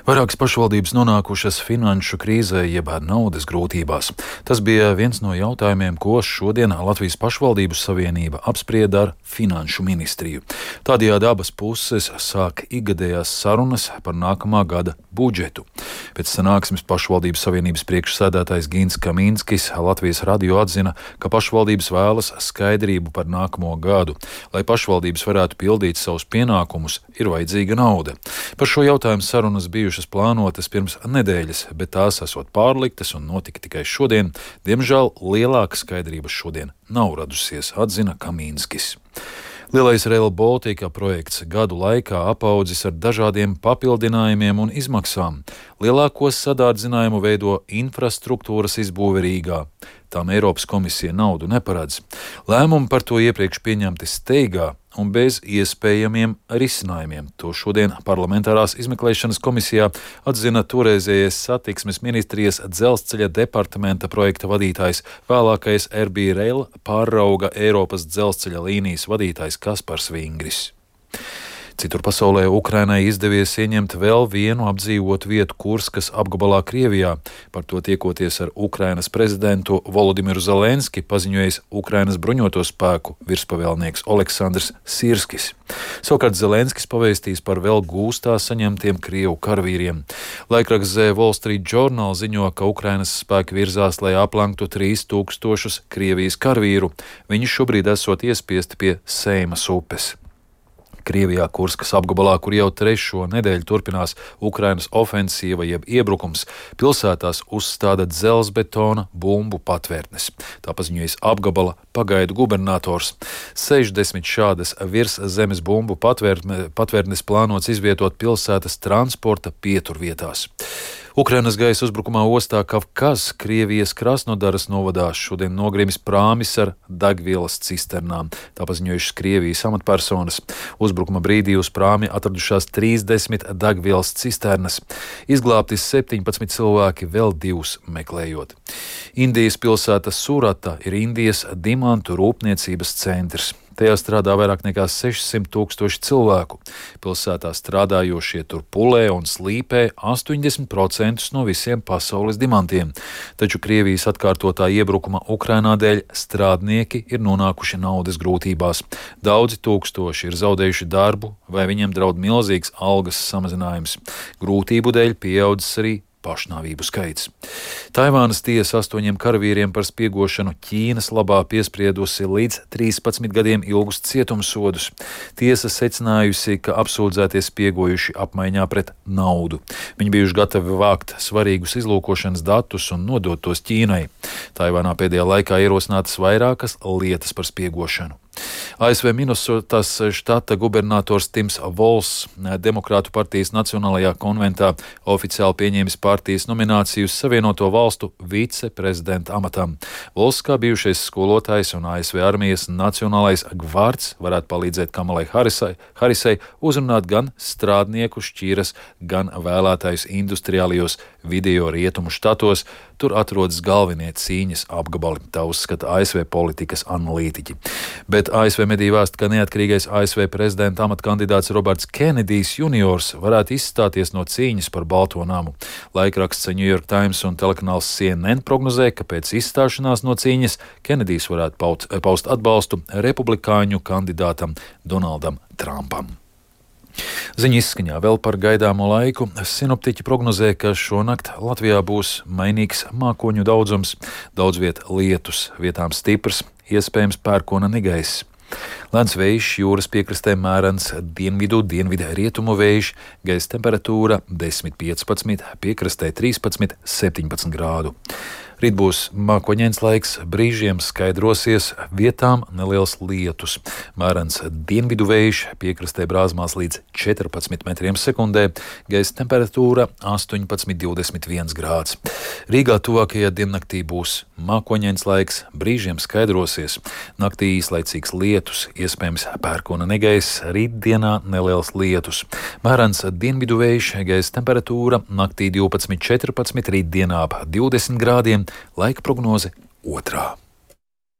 Vairākas pašvaldības nonākušas finanšu krīzē jeb naudas grūtībās. Tas bija viens no jautājumiem, ko šodien Latvijas pašvaldību savienība apsprieda ar Finanšu ministriju. Tādējādi abas puses sāk ikgadējās sarunas par nākamā gada budžetu. Pēc sanāksmes pašvaldības savienības priekšsēdētājs Gins Kamīnskis Latvijas radio atzina, ka pašvaldības vēlas skaidrību par nākamo gadu. Lai pašvaldības varētu pildīt savus pienākumus, ir vajadzīga nauda. Par šo jautājumu sarunas bijušas plānotas pirms nedēļas, bet tās esot pārliktas un notika tikai šodien. Diemžēl lielāka skaidrība šodien nav radusies, atzina Kamīnskis. Lielais Rail Baltica projekts gadu laikā apaudzis ar dažādiem papildinājumiem un izmaksām. Lielāko sadārdzinājumu veido infrastruktūras izbūve Rīgā. Tām Eiropas komisija naudu neparedz. Lēmumi par to iepriekš pieņemti steigā un bez iespējamiem risinājumiem. To šodien parlamentārās izmeklēšanas komisijā atzina toreizējais satiksmes ministrijas dzelzceļa departamenta projekta vadītājs, vēlākais RB Rail pārrauga Eiropas dzelzceļa līnijas vadītājs Kaspars Vingris. Citur pasaulē Ukrainai izdevies ieņemt vēl vienu apdzīvotu vietu Kurskas apgabalā Krievijā. Par to tiekoties ar Ukrainas prezidentu Volodimiru Zelenski paziņojis Ukrainas bruņoto spēku virspavēlnieks Oleksandrs Sirskis. Savukārt Zelenskis pavēstīs par vēl gūstā saņemtiem Krievu karavīriem. Laikraksts The Wall Street Journal ziņo, ka Ukrainas spēki virzās, lai aplenktu 3000 Krievijas karavīru. Viņi šobrīd esot iespiesti pie Seimas upes. Krievijā Kurskas apgabalā, kur jau trešo nedēļu turpinās Ukrainas ofensīva jeb iebrukums, pilsētās uzstāda dzelzbetona bumbu patvērtnes. Tā paziņojas apgabala pagaidu gubernators. 60 šādas virszemes bumbu patvērtnes plānots izvietot pilsētas transporta pieturvietās. Ukrainas gaisa uzbrukumā ostā Kavkaz, Krievijas Krasnodaras novadā šodien nogrimis prāmis ar degvielas cisternām. Tā paziņojušas Krievijas amatpersonas. Uzbrukuma brīdī uz prāmi atradušās 30 degvielas cisternas. Izglābti 17 cilvēki, vēl 2 meklējot. Indijas pilsēta Surata ir Indijas dimantu rūpniecības centrs. Tajā strādā vairāk nekā 600 000 cilvēku. Pilsētā strādājošie tur pulē un slīpē 80% no visiem pasaules dimantiem. Taču Krievijas atkārtotā iebrukuma Ukrainā dēļ strādnieki ir nonākuši naudas grūtībās. Daudzi tūkstoši ir zaudējuši darbu vai viņiem draud milzīgs algas samazinājums. Grūtību dēļ pieaudzis arī pašnāvību skaits. Taivānas tiesa 8 karavīriem par spiegošanu Ķīnas labā piespriedusi līdz 13 gadiem ilgus cietumsodus. Tiesa secinājusi, ka apsūdzētie spiegojuši apmaiņā pret naudu. Viņi bijuši gatavi vākt svarīgus izlūkošanas datus un nodot tos Ķīnai. Taivānā pēdējā laikā ierosinātas vairākas lietas par spiegošanu. ASV Minesotas štata gubernators Tims Vols Demokrātu partijas Nacionālajā konventā oficiāli pieņēmis partijas nomināciju uz Savienoto valstu viceprezidenta amatam. Vols, kā bijušais skolotājs un ASV armijas nacionālais gvards, varētu palīdzēt Kamalai Harisai uzrunāt gan strādnieku šķīras, gan vēlētājus industriālajos video rietumu štatos. Tur atrodas galvenie cīņas apgabali, tā uzskata ASV politikas analītiķi. Bet ASV mediji vēsta, ka neatkarīgais ASV prezidenta amatkandidāts Roberts Kenedijs juniors varētu izstāties no cīņas par Balto namu. Laikraksts New York Times un telekanāls CNN prognozē, ka pēc izstāšanās no cīņas Kenedijs varētu paust atbalstu republikāņu kandidātam Donaldam Trumpam. Ziņa izskaņā vēl par gaidāmo laiku. Sinoptiķi prognozē, ka šonakt Latvijā būs mainīgs mākoņu daudzums, daudz viet lietus, vietām stiprs, iespējams pērkona negaiss. Lēns vējš, jūras piekrastē mērens, dienvidu rietumu vējš, gaisa temperatūra 10–15, piekrastē 13–17 grādu. Rīt būs mākoņains laiks, brīžiem skaidrosies, vietām neliels lietus. Mērens dienvidu vējš, piekrastē brāzmās līdz 14 metriem sekundē, gaisa temperatūra 18–21 grāds. Rīgā tuvākajā diennaktī būs mākoņains laiks, brīžiem skaidrosies. Naktī īslaicīgs lietus, iespējams pērkona negaiss, rītdienā neliels lietus. Mērens dienvidu vējš, gaisa temperatūra naktī 12–14, rītdienā ap 20 grādiem. Laika prognoze 2.